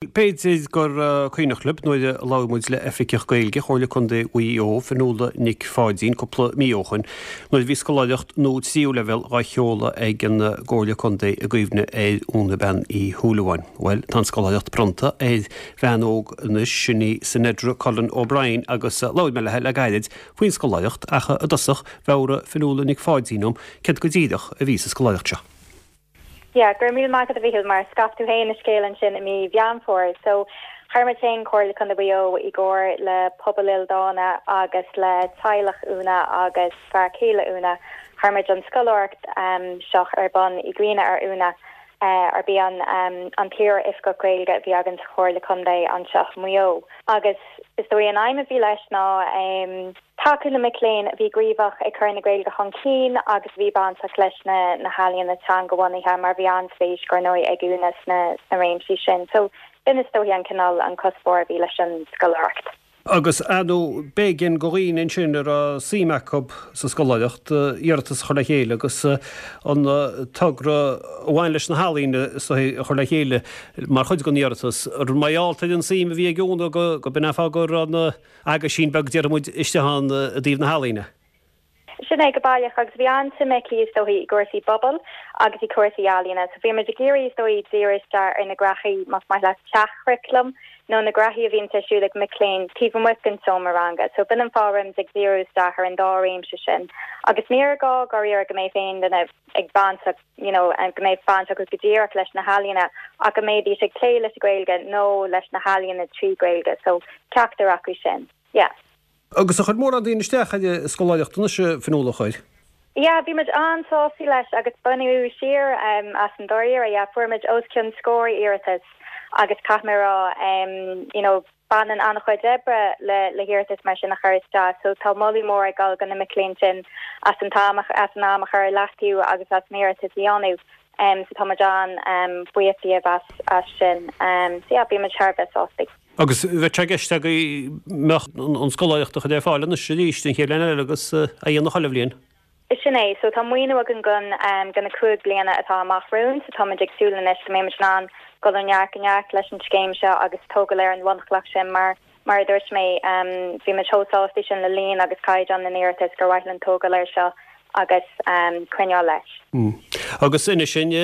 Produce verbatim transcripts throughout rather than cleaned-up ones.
B'fhéidir gur cuimhneach libh nuair a labhair muid le Oifigeach Gaeilge Chomhairle Contae Mhaigh Eo, Fionnuala Nic Pháidín, cúpla mí ó shoin, nuair a bhí scoláireacht nua tríú leibhéal dhá sheoladh ag an gComhairle Contae i gcuimhne ar Úna Bean Uí Shúilleabháin. Bhuel, tá an scoláireacht bronnta ar bhean óg anois, sin í Sinedra Cullen O'Brien, agus labhair mé léi le gairid faoin scoláireacht ach i dtosach mheabhraigh Fionnuala Nic Pháidín dom céard go díreach a bhí sa scoláireacht seo. Yeah, go raibh míle maith agat a Mhíchíl mar scaip tú féin an scéal ansin i mí Mheán Fómhair. So chuir muid féin Comhairle Contae Mhaigh Eo i gcomhar le Pobal Ildánach agus le teaghlach Úna agus fear céile Úna chuir muid an scoláireacht um, seo ar bun i gcuimhne ar Úna uh, arb í an um, an t-iar-oifigeach Gaeilge a bhí againn sa Chomhairle Contae anseo Maigh Eo. Agus is dóigh an aidhm a bhí leis ná um, tacú le mic léinn a bhí gníomhach ag cur na Gaeilge chun cinn agus bhí bainteach leis na na healaíona teangabhunaithe mar bhí an-spéis ar ndóigh ag Úna sna na réimsí sin. So b'in is dóigh an cineál an cuspóir a bhí leis an scoláireacht. Agus anú b'éigean do dhaoine ansin a raibh suim acu sa scoláireacht iarratas a chur le chéile agus an togra a bhain leis na healaíona a chur le chéile mar chuid den iarratas. Mar gheall ar an suim a bhí ag Úna go go b'in fáth go raibh an aguisín beag déarfaidh muid istigh ann i dtaobh na healaíona. Sin é go baileach agus bhí an-suim aici is dóigh i gcúrsaí pobail agus i cúrsaí ealaíona, so bhí muid ag iarraidh is dóigh díriú isteach ar na gnaithí más maith leat seach-churaclam nó na gnaithí a bhíonn ar siúl ag mic léinn taobh amuigh den seomra ranga, so b'in an fáth ag díriú isteach ar an dá réimse sin. Agus níor ghá go go mbeadh aon duine ag baint you know, go mbeadh baint acu go díreach leis na healaíona ach go mbeidís ag plé leis Gaeilge nó leis na healaíona trí Ghaeilge, so ceachtar acu sin. Yeah. Agus ar chuir mórán daoine isteach ar an scoláireacht anois Fionnuala chuir. Ja, bhí muid an-sásta leis agus baineadh siar um, as an dáiríre ja, fuair muid os cionn scór iarratas agus caithfidh mé rá um, you know, baineann an-chuid oibre le le hiarratas mar sin a chur isteach, so tá moladh mór ag dul do na mic léinn sin as an t-am as an am a chur leatú agus as an iarratas a dhéanamh. Um, so tá muid an um, buíoch díobh as, as sin. Um, so yeah, bhí muid thar bheith sásta. Agus bheadh sé i gceist go mbeadh an scoláireacht á chur ar fáil anois arís den chéad bhliain eile agus a dhéanamh chuile bhliain. Sin é, so tá maoiniú againn go um, go na cúig bliana atá amach romhainn, so tá muid ag súil anois go mbeidh an go an neart go neart leis an scéim seo agus tógáil ar an bhunchloch sin mar mar a dúirt mé um, bhí muid chomh sásta sin le líon agus caighdeán na n-iarratas gur mhaith linn tógáil air seo agus um, coinneáil leis. Mm. Agus inis dúinn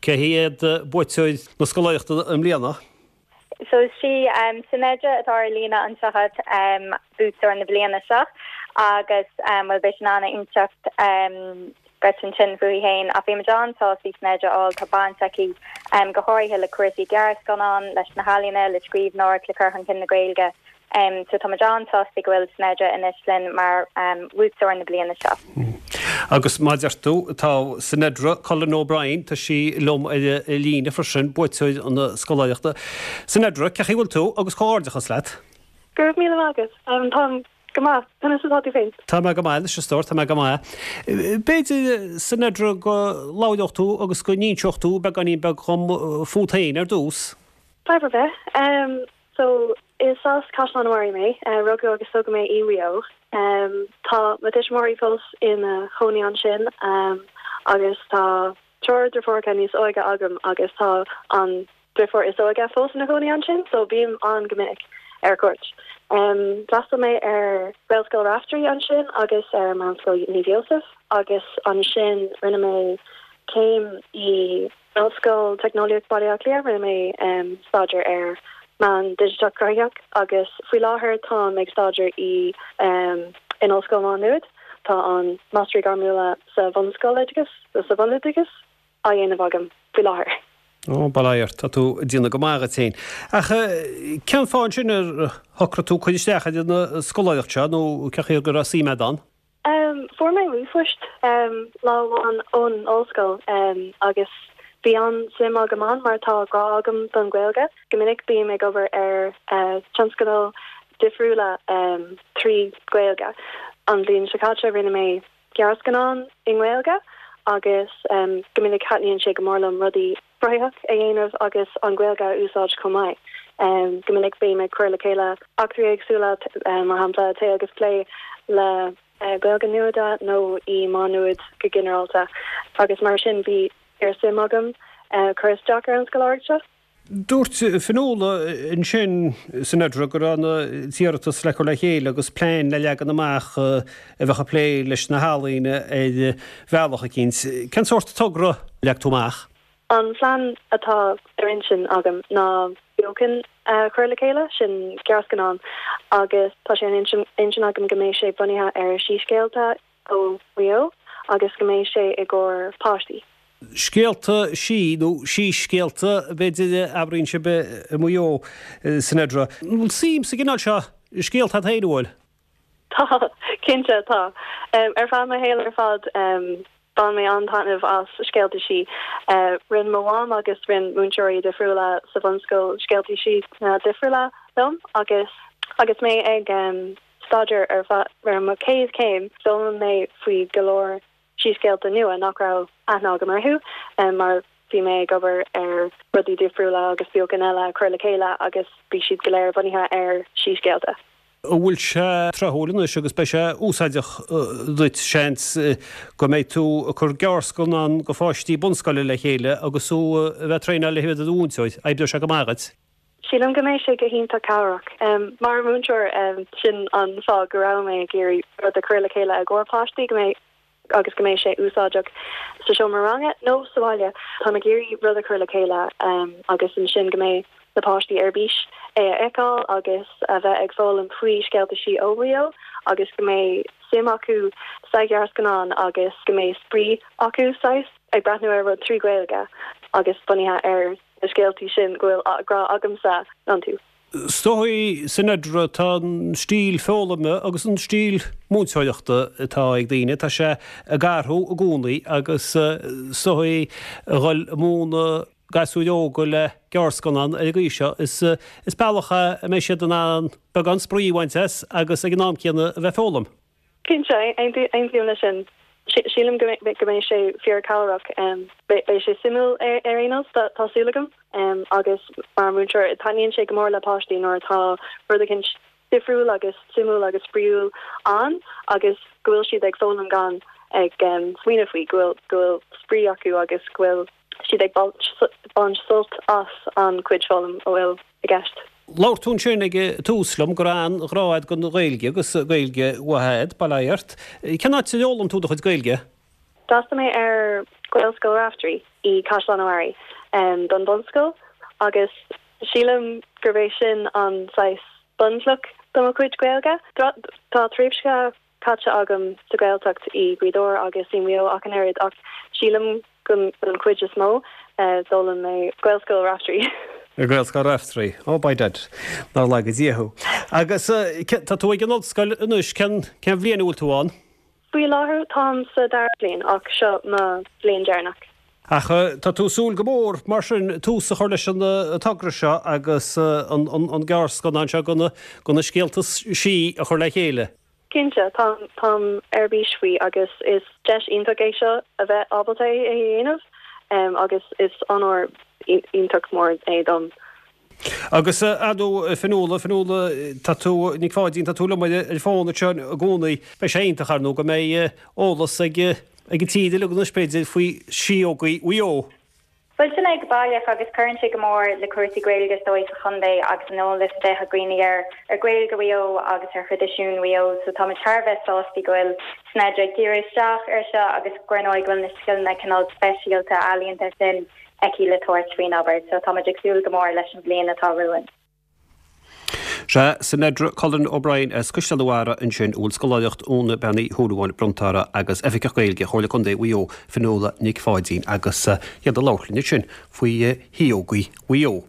cé hiad buaiteoirí na scoláireachta i mbliana? So sí um, Sinedra atá ar líne anseo um, buaiteoir na bliana seo agus um, well beidh sí in ann inseacht um, duit ansin fúithi féin a bhí an-sásta Sinedra á tá baint aici um, go háirithe le cúrsaí gearrscannán leis na healaíona le scríbhneoireacht le cur chun cinn na Gaeilge. Um, so tá an-sásta go bhfuil Sinedra anois linn mar um, buaiteoir na bliana seo. Mm. Agus mar a deir tú tá Sinedra Cullen O'Brien tá sí liom ar líne freisin buaiteoir na scoláireachta. Sinedra cén chaoi a bhfuil tú agus comhghairdeachas leat? Go raibh míle maith agat um, tá go maith conas atá tú féin. Tá mé go maith leis stór tá mé go maith. B'fhéidir Sinedra go labhródh tú agus go n-inseodh tú beagáinín beag dhom fút féin ar dtús. Fadhb ar bith. Um, so is as Caisleán an Bharraigh mé uh, rugadh agus tógadh mé i Maigh Eo. Um, tá mo thuismitheoirí fós ina gcónaí ansin um, agus tá triúr deirfiúracha níos óige agam agus tá an deirfiúr is óige fós ina cónaí ansin, so bím ann go minic ar cuairt. Um, D'fhreastail mé ar Gaelscoil Raftery ansin agus ar Meánscoil Naomh Joseph agus ansin rinne mé céim i Ollscoil Teicneolaíocht Baile Átha Cliath rinne mé um, staidéar ar meán digiteach cruthaitheach agus faoi láthair tá ag staidéar i um, in Ollscoil Mhá Nuad tá an Máistreacht Ghairmiúil sa bhunscoiloideachas sa bhunoideachas á dhéanamh agam faoi láthair. Ó bail ort tá tú ag déanamh go maith duit féin. Ach cén fáth sin ar shocraigh tú cur isteach ar an scoláireacht seo nó cén chaoi go raibh suim agat ann? Um, Fuair mé ríomhphost um, lá amháin ón ollscoil um, agus bhí an-suim agam ann mar tá grá agam don Ghaeilge. Go minic bím ag obair ar uh, tionscadail difriúla um, trí Ghaeilge. An bhliain seo caite rinne mé gearrscannán i nGaeilge agus um, go minic taitníonn sé go mór liom rudaí cruthaitheach a dhéanamh agus an Ghaeilge a úsáid chomh maith. Um, go minic bím ag cur le chéile eachtraí éagsúla um, mar shampla tae agus plé le uh, Gaeilge Nuada nó i Má Nuad go ginearálta agus mar sin bhí fíorsuim agam uh, cur isteach ar an scoláireacht seo. Dúirt Fionnuala ansin Sinedra go raibh an t-iarratas le cur le chéile agus plean le leagan amach a bheadh ag plé leis na healaíona ar bhealach eicínt. Cén sórt togra a leag tú amach? An plean atá ar intinn agam ná beochan a chur le chéile, sin gearrscannán, agus tá sé ar intinn agam go mbeidh sé bunaithe ar síscéalta ó Mhaigh Eo agus go mbeidh sé i gcomhair páistí. Scéalta sí nó síscéalta, b'fhéidir, a abraíonn sibh i Maigh Eo, Sinedra. An bhfuil suim sa gcineál seo scéalta agat féin, an bhfuil? Tá, cinnte tá. Ar feadh mo shaol ar fad bhain mé an-taitneamh as scéalta sí. Rinne mo mham agus rinne múinteoirí difriúla sa bhunscoil scéalta sí difriúla liom agus agus mé ag staidéar ar ar mo chéad chéim d'fhoghlaim mé faoi go leor síscéalta nua nach raibh aithne agam orthu mar bhí mé ag obair ar rudaí difriúla agus beochan eile a chur le chéile agus bhí siad go léir bunaithe ar síscéalta. An bhfuil sé tráthúil anois agus beidh sé úsáideach duit, seans, go mbeidh tú ag cur gearrscannán do pháistí bunscoile le chéile agus tú a bheith ag traenáil le bheith i do mhúinteoir. Oibreoidh sé go maith duit. Sílim go mbeidh sé go hiontach cabhrach. Mar mhúinteoir, sin an fáth go raibh mé ag iarraidh rud a chur le chéile i gcomhair páistí, go mbeidh agus go mbeidh sé úsáideach sa seomra ranga nó sa bhaile. Táim ag iarraidh rud a chur le chéile agus ansin go mbeidh na páistí ar bís é a fheiceáil agus a bheith ag foghlaim faoi scéalta sí ó Mhaigh Eo agus go mbeidh suim acu sa ghearrscannán agus go mbeidh spraoi acu saghas ag breathnú ar rud trí Ghaeilge agus bunaithe ar na scéaltaí sin go bhfuil grá agamsa iontu. Is dóigh, Sinedra, tá an stíl foghlama agus an stíl múinteoireachta atá ag daoine, tá sé ag athrú i gcónaí agus is dóigh a dhul ag múineadh gasúir óga le gearrscannán ar an gcaoi seo, is bealach é a mbeidh siad in ann beagán spraoi a bhaint as agus ag an am céanna a bheith ag foghlaim. Cinnte, aontaím leis sin. Sílim go mbeidh sé fíorchabhrach. Beidh sé suimiúil ar aon nós, tá súil agam. Agus mar mhúinteoir, taitníonn sé go mór le páistí nuair atá rud eicínt difriúil agus suimiúil agus spraíúil ann agus go bhfuil siad ag foghlaim gan ag smaoineamh faoi, go bhfuil go bhfuil spraoi acu agus go bhfuil siad ag baint sult as an cuid foghlaim a bhfuil i gceist. Labhair tú ansin ag tús liom go raibh an-ghrá agat don Ghaeilge agus Gaeilge mhaith agat, bail ó Dhia ort. Cén áit ar fhoghlaim tú do chuid Gaeilge? D'fhreastail mé ar Ghaelscoil Raifteirí i Caisleán an Bharraigh don bhunscoil agus sílim gurb é sin an saghas bunchloch do mo chuid Gaeilge. Tá tréimhse caite agam sa Ghaeltacht i Gaoth Dobhair agus i Maigh Eo ach an oiread ach sílim go an chuid is mó d'fhoghlaim mé Gaelscoil Raifteirí. Gaelscoil Raifteirí. Ó by dad, nár laga Dia thú. Agus tá tú ag an ollscoil anois, cén cén bhliain a bhfuil tú ann? Faoi láthair táim sa dara bliain ach seo mo bhliain deireanach. Ach tá tú ag súil go mór mar sin tús a chur leis an togra seo agus an an gearrscannán seo de na scéalta sí a chur le chéile. Cinnte, táim táim ar bís faoi agus is deis iontach é seo a bheith ábalta é a dhéanamh agus is onóir iontach mór é dom. Agus ar ndóigh Fionnuala, Fionnuala, tá tú, Nic Pháidín, tá tú liom ar an bhfón anseo i gcónaí. Beidh sé iontach ar ndóigh go mbeidh eolas ag ag an tír uilig anois b'fhéidir faoi síógaí Mhaigh Eo. Bhuel, sin é go baileach agus cuireann sé go mór le cúrsaí Gaeilge is dóigh sa chontae agus an eolas a bheith ag daoine ar ar Ghaeilge Mhaigh Eo agus ar thraidisiún Mhaigh Eo so táimid thar a bheith sásta go bhfuil Sinedra ag díriú isteach air seo agus gur ndóigh go bhfuil na scileanna cineál speisialta ealaíonta sin aici le tabhairt faoin obair so táimid ag súil go mór leis an bhliain atá romhainn. Sea, Sinedra Cullen O'Brien as Caisleán an Bharraigh ansin a bhfuil scoláireacht Úna Bean Uí Shúilleabháin bronnta uirthi agus Oifigeach Gaeilge Chomhairle Contae Mhaigh Eo, Fionnuala Nic Pháidín agus iad ag labhairt linn ansin faoi shíógaí Mhaigh Eo.